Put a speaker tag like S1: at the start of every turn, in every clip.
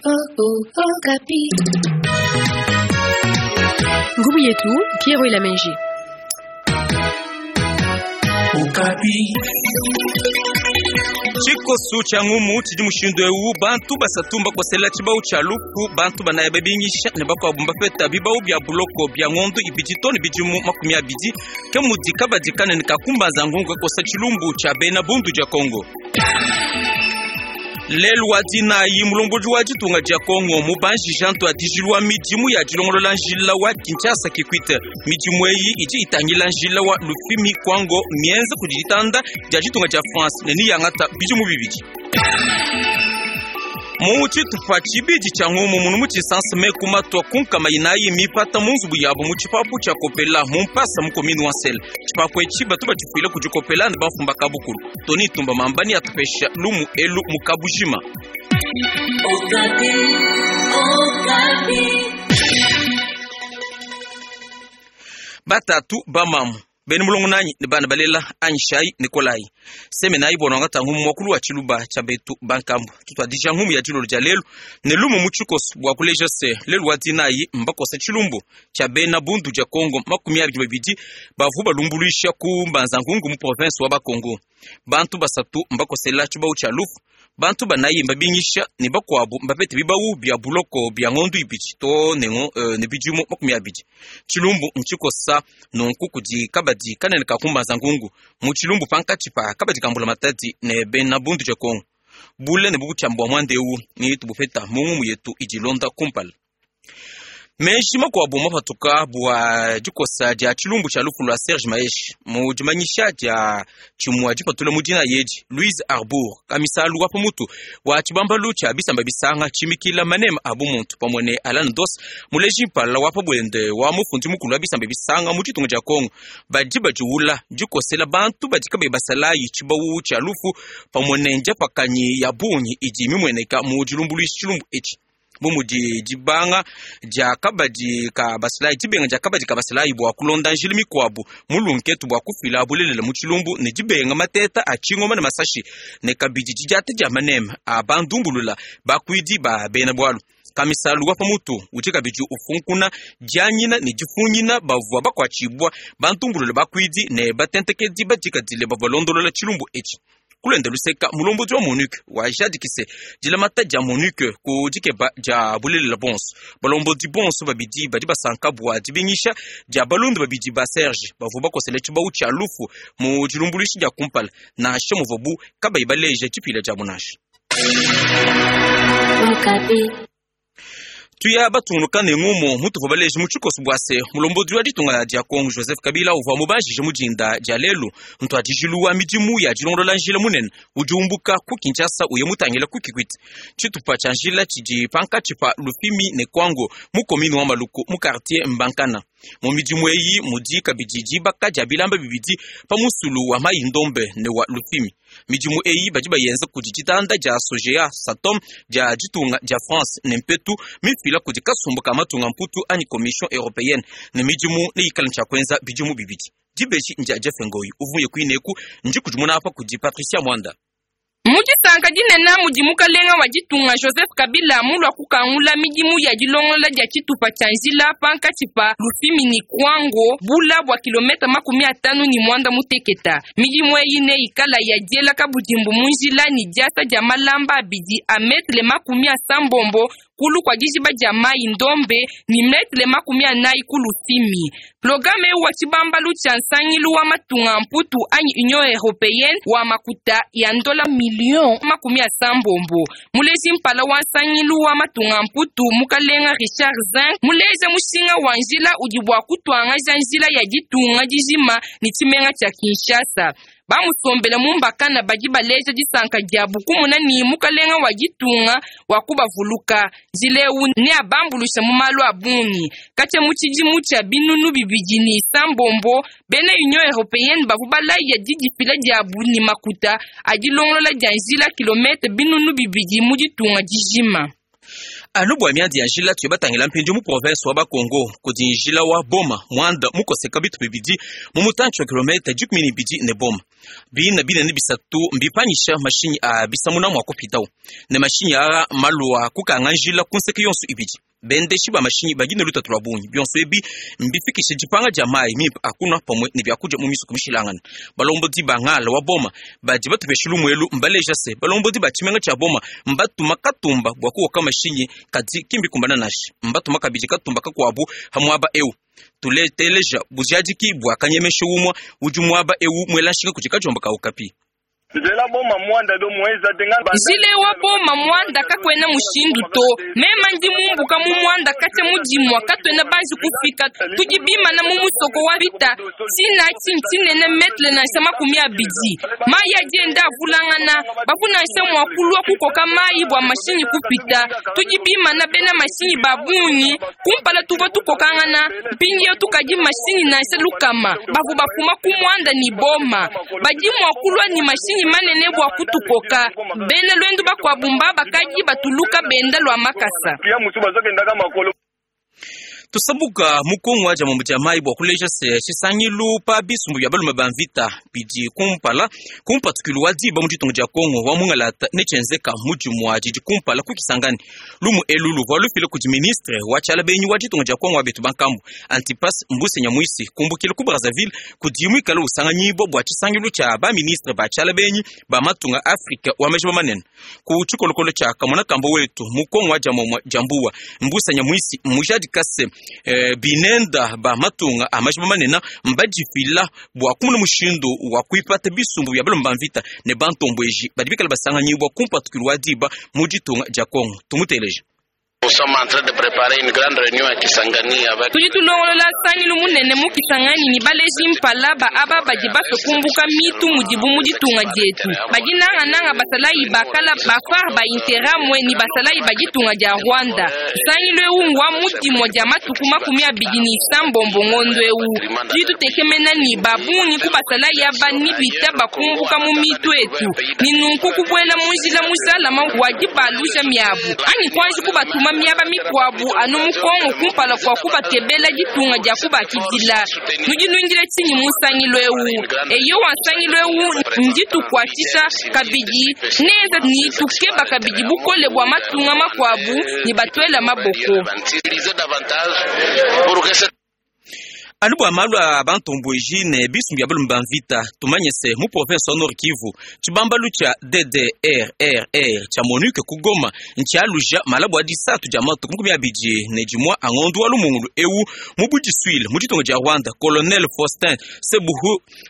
S1: Ngumu yetu Pierre Elamenji.
S2: Tshikosu tshia ngumu tshidi mushindu eu bantu basatu mbakosela tshibawu tshia lufu bantu banayi babingisha ne bakuabu mbapeta bibawu bia buloko bia ngondo ibidi to ne bidimu 20 ke mudi kabadi kanene ka kumbanza ngungu kakosa tshilumbu tshia bena bundu dia Kongo. Lelu wa dinayi mulombodi wa ditunga dia Kongo mubanjija ntuadijilu wa midimu ya dilongolola njila wa Kinshasa Kikwit. Midimu eyi idi itangila njila wa Lufimi Kwango mienza kudi ditanda dia ditunga dia France ne niyangata bidimu bibidi. Mu tshitupa tshibidi tshia ngumu munu mu tshisansa meku matua ku 400 mipata mu nzubu yabo mu tshipapu tshia Kopela mu mpasa mu commune wa Nsele. Tshipapu etshi batu batshifuila kudi Kopela ne bamfumba kabukulu. Tony Tumba Mambani atupesha lumu elu mu kabujima. Batatu bamamu bene mulongo nanyi ne bana balela anyishayi Nikolayi semenayi bua nwangata ngumu muakulu wa tshiluba tshia betu bankambu. Tutuadija ngumu ya dilolo dia lelu ne lumu mu tshikoso bua kuleja se lelu wa dinayi mbakosa tshilumbu tshia bena bundu dia Kongo 22 bavu balumbuluisha ku mbanza ngungu mu province wa Bakongo. Bantu basatu mbakosela tshibawu tshia lufu, bantu banayi mbabingisha ne bakuabu mbapete bibawu bia buloko bia ngondo ibidi to ne ne bidimu 20. Tshilumbu ntshikosa nunku kudi kabadi kanene ka kumbanza ngungu mu tshilumbu pankatshi pa kabadi ka mbula matadi ne bena bundu dia Kongo. Bule ne bukutshiamba bua muanda eu ne tubupeta mu ngumu yetu idi ilonda kumpala. Meji makuabu mapatuka bua dikosa dia tshilumbu tshia lufu lua Serge Maheshe mu dimanyisha dia tshimua dipatula mu dina yedi Louise Arbour kamisalu wa pamutu wa tshibambalu tshia bisamba bisanga tshimikila manema a bumuntu pamue ne Alan Doss muleji mpala wa pabuende wa mufundi mukulu wa bisamba bisanga mu ditunga dia Kongo badi badiwula dikosela bantu badi kabayi basalayi tshibawu tshia lufu pamue ne ndiapakanyi ya bungi idi mimueneka mu dilumbuluisha tshilumbu etshi. Bu mudi dibanga dia kabadi ka basalayi, dibenga dia kabadi ka basalayi bua kulonda njila mikuabu mu lunketu bua kufila bulelela mu tshilumbu ne dibenga mateta a tshingoma ne masashi ne kabidi didiata dia maneme a bandumbulula bakuidi ba bena bualu. Kamisalu wa pamutu udi kabidi ufunkuna dianyina ne difunyina bavua bakuatshibua bandumbulula bakuidi ne batentekedi badikadile bavua londolola tshilumbu etshi. Kulenda luseka mulombodi wa MONUC wajadikise dilamata dia MONUC ku dikeba dia bulelela bonso. Balombodi bonso babidi badi basanka bua dibingisha dia balonda babidi ba Serge bavua bakosele tshibawu tshia lufu mu dilumbuluishi dia kumpala nansha muvuabu kabayi baleja tshipila diabu nansha. Tuya batungunuka ne ngumu mutuvua baleje mu tshikoso bua se mulombodi wa ditunga dia Kongo Joseph Kabila uvua mubanjije mu dinda dia lelu ntuadijilu wa midimu ya dilongolola njila munene udi umbuka ku Kinshasa uya mutangila ku Kikwit. Tshitupa tshia njila tshidi pankatshi pa Lufimi ne Kwango mu commune wa Maluku mu quartier Mbankana. Mu midimu eyi mudi kabidi dibaka dia bilamba bibidi pa musulu wa Mayi Ndombe ne wa Lufimi. Midimu eyi badi bayenza kudi ditanda dia Sogea Satom dia ditunga dia France ne mpetu mifila kudi kasumbu ka matunga mputu anyi Commission européenne ne midimu neyikale tshia kuenza bidimu bibidi. Dibeji ndia Jeff Ngoyi uvuye kuineku ndi kudimuna apa kudi Patricia Mwanda.
S3: Mu disanka dinene mudi mukalenga wa ditunga Joseph Kabila mulua kukangula midimu ya dilongolola dia tshitupa tshia njila pankatshi pa Lufimi ne Kwango bula bua kilomètre 58. Midimu eyi neyikala ya diela kabudimbu mu njila ne diasa dia malamba abidi a mètre 80 kulu kwa dijiba dia mayi Ndombe ne mètre 40 ku Lufimi. Programe eu wa tshibambalu tshia nsangilu wa matunga mputu anyi Union Européenne wa makuta ya ndola million 80. Muleji mpala wa nsangilu wa matunga mputu mukalenga Richard Zink muleja mushinga wa njila udi bua kutuangaja njila ya ditunga dijima ne tshimenga tshia Kinshasa. Bamusombela mu mbakana badi baleja disanka diabu kumuna ni mukalenga wa ditunga wa kubavuluka. Njila eu neabambulusha mu malu a bungi. Katshia mu tshidimu tshia 2009 bena Union Européenne bavua balaya didifila diabu ne makuta a dilongolola dia njila kilomètre 2000 mu ditunga dijima.
S2: Anu bua miadi ya njila tuye batangila mpindieu mu province wa Bakongo kudi njila wa Boma Mwanda mukoseka bitu bibidi mu mutantshi wa kilomètre 12 ne Boma. Biina binene bisatu mbipanyisha mashinyi a bisamuna mua kupitawu, ne mashinyi aa malua kukanga njila ku nseke yonso ibidi. Bendeshi ba mashinyi badi ne lutatu lua bungi. Bionso ebi mbifikishe dipanga dia mayi mimpe a kunua pamue ne biakudia mu misoko mishilangane. Balombodi ba ngala wa Boma badi batupesha lumu elu mbaleja se, balombodi ba tshimenga tshia Boma mbatuma katumba bua kukoka mashinyi, kadi ki mbikumbana nansha. Mbatuma kabidi katumba kakuabu ha muaba eu. Tuleteleja bujadiki bua kanyemesha umue udi muaba eu muela nshinga kudi kadiomba ka Okapi.
S3: Njila wa Boma muanda kakuena mushindu to. Mema ndi mumbuka mu muanda katshia mu dimua katuena banji kufika. Tudi bimana mu musoko wa bita tshina tshini tshinene metre nansha 20. Mayi adi enda avulangana, bavua nansha mua kulua kukoka mayi bua mashinyi kupita. Tudi bimana bena mashinyi ba bungi. Kumpala tuvua tukokangana, mpindieu tukadi mashinyi nansha 100 bavua bafuma ku muanda ne Boma. Badi mua kulua ne mashinyi manene bua kutukoka. Bena luendu bakuabu mba bakadi batuluka benda lua makasa.
S2: Tusabuka mu Kongo wa dia mambo dia mayi bua kuleja se tshisangilu pa bisumbu bia balume ba mvita bidi kumpala ku mpatukilu wa diba mu ditunga dia Kongo wa mungalata ne tshienzeka mu dimua didi kumpala ku Kisangani. Lumu elu luvua lufila kudi ministre wa tshiala benyi wa ditunga dia Kongo wa betu bankambu Antipas Mbusa Nyamwisi kumbukila ku Brazzaville kudi muikale usanganyibwa bua tshisangilu tshia ba ministre ba tshiala benyi ba matunga Afrika wa majiba manene ku tshikolokolo tshia kamona kamba wetu mu Kongo wa dia momua dia mbuwa. Mbusa Nyamwisi mujadika se binenda ba matunga a majiba manene mbadifila bua kumuna mushindu wa kuipata bisumbu bia balume ba mvita ne bantombweji badi bikale basanganyibwa ku mpatukilu wa diba mu ditunga dia Kongo. Tumuteleje.
S3: Tudi tulongolola sangilu munene mu Kisangani ni baleji mpala ba aba badi basue kumbuka mitu mudibu mu ditunga dietu. Badi nangananga basalayi bakala ba FAR ba Interamwe ni basalayi ba ditunga dia Rwanda. Sangilu eu ngwa mu dimua dia matuku 29 ngondo eu. Tudi tutekemena ni babungi ku basalayi aba ni bita bakumbuka mu mitu etu. Ni nunku kubuela mu njila mujalama wa dibaluja miabu. Anyi kuanji kubatuma miaba mikuabu anu mu Kongo kumpala kua kubatebela ditunga dia kubakidila. Nudi nuindila tshinyi mu nsangilu eu? Eyo wa nsangilu eu nditukuatshisha kabidi neza ni tukeba kabidi bukole bua matunga makuabu ni batuela maboko.
S2: Anu bua malu a bantombweji ne bisumbu bia balume ba mvita tumanye se mu province wa Nord Kivu tshibambalu tshia DDRRR tshia MONUC ku Goma ntshialuja malabu a disatu dia matuku 21 a ngondo wa lumungulu eu mu budisuile mu ditunga dia Rwanda. Colonel Faustin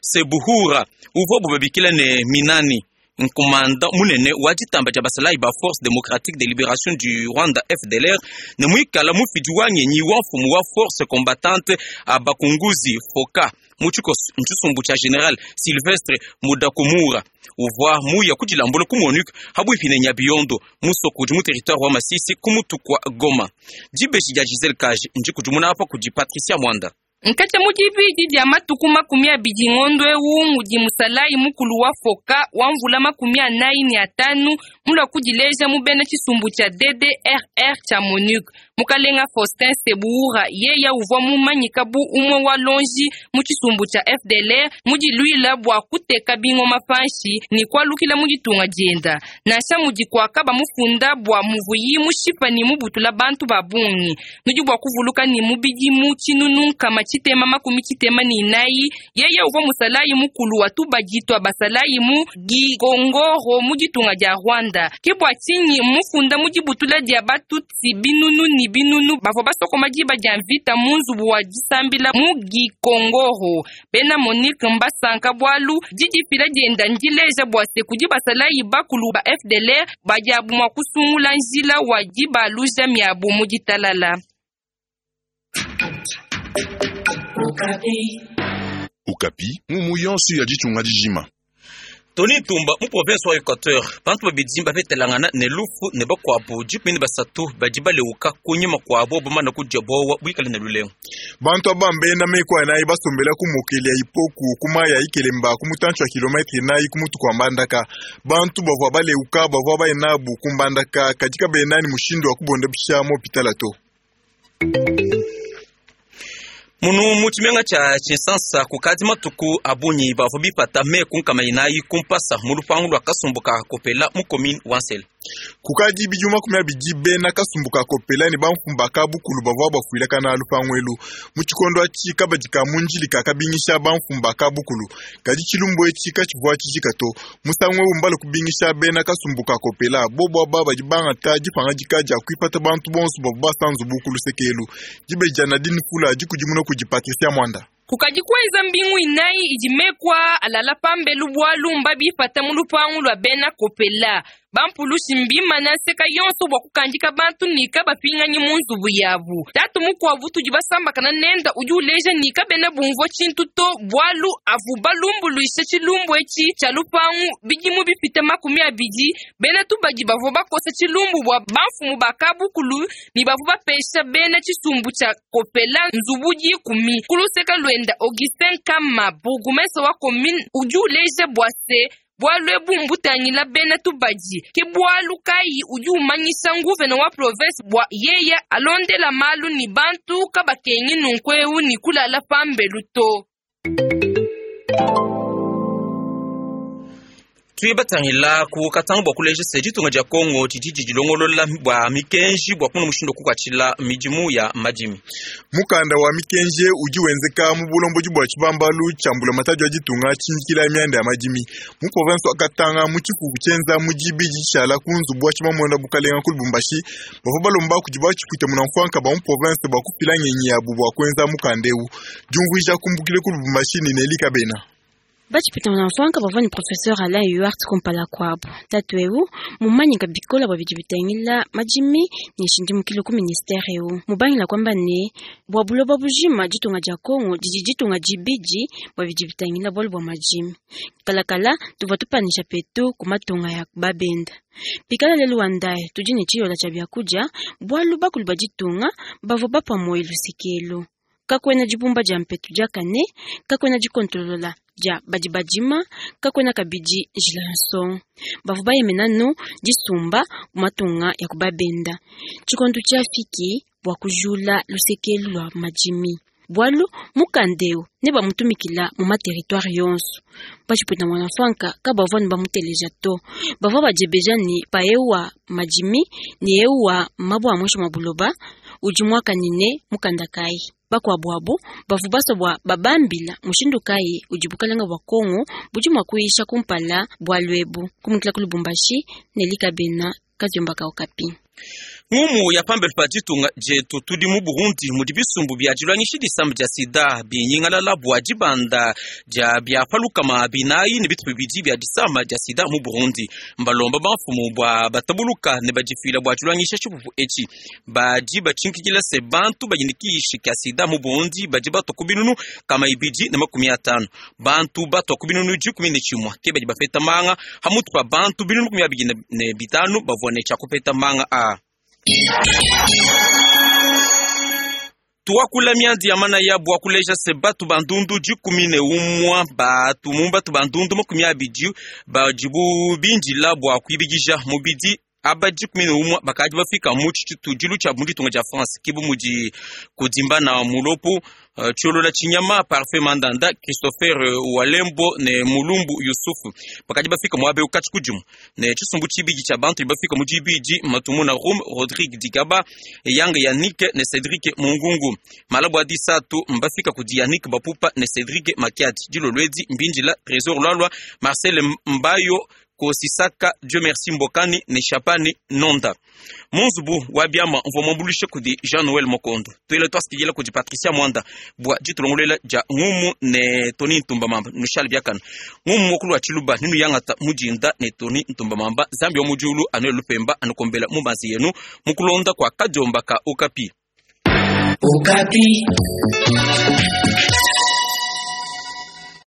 S2: Sebuhura uvua bubabikila ne Minani nkomanda munene wa ditamba dia basalayi ba Force Démocratique de Libération du Rwanda FDLR ne muikala mufidi wa ngenyi wa mfumu wa Force Combattante Abakunguzi Foka mu tshisumbu tshia General Sylvestre Mudakumura uvua muya kudilambula ku MONUC habuipi ne Nyabiyondo musoko udi mu territoire wa Masisi ku mutu kwa Goma. Dibeji dia Giselle Kaje ndikudimuna apa kudi Patricia Mwanda.
S3: Nkatshia mu dibidi dia matuku 20 ngondo eu mudi musalayi mukulu wa Foka wa mvula 45 mulua kudileja mu bena tshisumbu tshia DDRR tshia MONUC. Mukalenga Faustin Sebuhura yeya uvua mumanyika bu umue wa lonji mu tshisumbu tshia FDLR mudiluila bua kuteka bingoma panshi ni kualukila mu ditunga dienda. Nansha mudi kuaka bamufunda bua muvuyi mushipa ni mubutula bantu ba bungi. Nudi bua kuvuluka ni mubidi mu tshinunu nkama 94 yeye uvua musalayi mukulu wa tubadi twa basalayi mu Gikongoro mu ditunga dia Rwanda. Ke bua tshinyi mufunda mu dibutula dia batutsi binunu ni binunu bavua basokoma diba dia mvita mu nzubu wa disambila mu Gikongoro. Bena MONUC mbasanka bualu didifila dienda ndileja bua se kudi basalayi bakulu ba FDLR badiabu mua kusungula njila wa dibaluja miabu mu ditalala.
S4: Okapi mumu yonso ya ditunga dijima.
S2: Tony Tumba mu province wa Equateur bantu babidi bapetelangana ne lufu ne bakuabu 13 badi baleuka kunyima kuabo bamana kudia bowa buikale ne lulengu.
S5: Bantu aba mbena meko anayi basombela ku mokeli ya ipoku kuma ya ikelemba ku mutantshi wa kilometre nayi ku mutu kwa mbandaka. Bantu bavua baleuka bavua bayenabu ku mbandaka kadika benani mushindu wa kubonda bisha mu hopitala to.
S2: Munu mu tshimenga tshia Tshinsansa kukadi matuku a bungi bavua bipata meku nkama inayi ku mpasa mu lupangu lua kasumbu ka Kopela mu commune wa Nsele.
S5: Kukadi bidimu 20 bena kasumbu ka Kopela ne bamfumu ba kabukulu bavua bafuilakana lupangu elu. Mu tshikondo atshi kabadi ka mu Ndjili kakabingisha bamfumu ba kabukulu, kadi tshilumbu etshi katshivua tshijika to. Musangu eu mbale kubingisha bena kasumbu ka Kopela, bobu aba badi bangata dipangadika dia kuipata bantu bonso bavua basa nzubu ku luseke elu. Dibeji dia Nadine Fula dikudimuna kudi Patricia Mwanda.
S3: Kukadi kuenza mbingu inayi idi meku aa alala pambelu bualu mbabipata mu lupangu lua bena Kopela. Bampulushi mbimana nseka yonso bua kukandika bantu ne kabapinganyi mu nzubu yabu. Tatu mukuabu utudi basambakana nende udi uleja ne, kabena bumvua tshintu to, bualu avu balumbuluisha tshilumbu etshi tshia lupangu bidimu bipite 20. Bena tubadi bavua bakosa tshilumbu bua bamfumu ba kabukulu ne bavua bapesha bena tshisumbu tshia Kopela nzubu 10. Ku luseke luenda, Augustin Kama, bourgmestre wa commune, udi uleja bua se, bualu ebu mbutangila bena tubadi. Ke bualu kayi udi umanyisha nguvena wa province bua yeya alondela malu ne bantu kabakengi nunku eu ne kulala pambelu to.
S2: Tuye batangila ku Katanga bua kuleja se ditunga dia Kongo didi didilongolola bua mikenji bua kumona mushindu wa kukuatshila midimu ya madimi.
S5: Mukanda wa mikenji udi wenzeka mu bulombodi bua tshibambalu tshia mbulamatadi wa ditunga tshindikila mianda ya madimi mu province wa Katanga mu tshifufu tshienza mu dibidi tshishala ku nzubu wa tshimamona bukalenga ku Lubumbashi. Bavua balomba kudi batshipwita munamfuanka ba mu province bua kufila ngenyi yabu bua kuenza mukanda eu. Diumvuija kumbukile ku Lubumbashi ne Nelly Kabena.
S6: Batshipwita munamfuanka bavua ne professeur Alain Huart kumpala kuabu. Tatu eu mumanyika bikola bua bidi bitangila madimi ne nshindimukilo ku ministere eu. Mubangila kwamba ne bua buloba bujima ditunga dia Kongo didi ditunga dibidi bua bidi bitangila bualu bua madimi. Kalakala tuvua tupanisha petu ku matunga ya babenda. Pikala lelu wa ndaye tudi ne tshiyola tshia biakudia bualu bakulu ba ditunga bavua bapua moyo lusekelu. Kakuena dibumba dia mpetu diakane, kakuena dikontolola dia badi badima, kakuena kabidi njila ya nsongo. Bavua bayemena nu disumba ku matunga ya kubabenda. Tshikondo tshiafiki bua kujula lusekelu lua madimi. Bualu mukanda eu ne bamutumikila mu materitoire yonso. Batshipwita mwanamfuanka kabavua ne bamuteleja to. Bavua badiebeja ne pa eu wa madimi ne eu wa mabua a muinshi mua buloba udi muakanyine mukanda kayi. Bakuabu abo bavua basua bua babambila mushindu kayi udi bukalenga bua Kongo budi mua kuyisha kumpala bualu ebu. Kumukila ku Lubumbashi ne Likabena Kadiomba ka Okapi.
S2: Ngumu ya pambelu pa ditunga dietu tudi mu Burundi mudi bisumbu bia dilwangishi disamba dia sida binyingalala bua dibanda dia bia palukama binayi ne bitupa bibidi bia disama dia sida mu Burundi. Mbalomba bamfumu bua batabuluka ne badifila bua dilwangisha tshipupu etshi. Badi batshinkikila se bantu badi ne kiishi kia sida mu Burundi badi batua ku binunu kama ibidi ne makumi atanu. Bantu batua ku binunu dikumi ne tshimue ke badi bapeta manga hamutu pa bantu binunu 25 bavua ne tshia kupeta manga a. Tuakula miandi ya manaya bua kuleja se batu bandundu 11 batu mu batu bandundu 20 badibu bindila bua kuibidija mubidi aba 11 bakadi bafika mu tshitudilu tshia mu ditunga dia France kibu mudi kudimbana mulopu Tshiolola Chinyama Parfait Mandanda Christopher Walembo ne Mulumbu Yusufu bakadi bafika muabe ukatshi kudimu ne tshisumbu tshibidi tshia bantu bafika mu dibidi Matumuna Rum Rodrigue Digaba Yang Yannick ne Cedric Mungungu Malabu adisatu mbafika kudi Yannick Bapupa ne Cedric Makiadi Dilolwedi Mbindila Trésor Lwalwa Marcel Mbayo Kosisaka Dieu merci Mbokani ne Chapani Nonda Munzubu wa biama mvua mwambulishe kudi Jean Noël Mokondo tuele twasikidila kudi Patricia Mwanda bua ditulongolela dia ngumu ne Tony Ntumba Mamba nushal biakana ngumu mokulu wa Tshiluba ninu yangata mudinda ne Tony Ntumba Mamba Zambi wa mudiulu anuele lupemba anukombela mubanzi yenu mukulonda kwa kadiomba ka Okapi.
S7: Okapi.